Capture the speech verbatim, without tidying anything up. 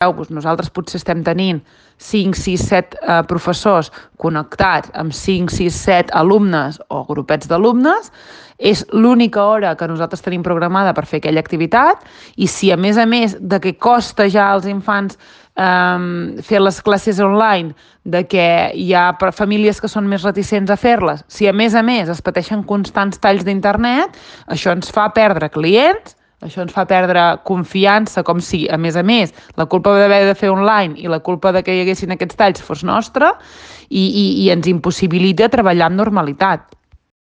doncs nosaltres potser estem tenint cinc, sis, set eh, professors connectats amb cinc, sis, set alumnes o grupets d'alumnes, és l'única hora que nosaltres tenim programada per fer aquella activitat, i si a més a més de que costa ja als infants eh, fer les classes online, de que hi ha famílies que són més reticents a fer-les, si a més a més es pateixen constants talls d'internet, això ens fa perdre clients, això ens fa perdre confiança, com si, a més a més, la culpa d'haver de fer online i la culpa de que hi haguessin aquests talls fos nostra, i, i, i ens impossibilita treballar amb normalitat.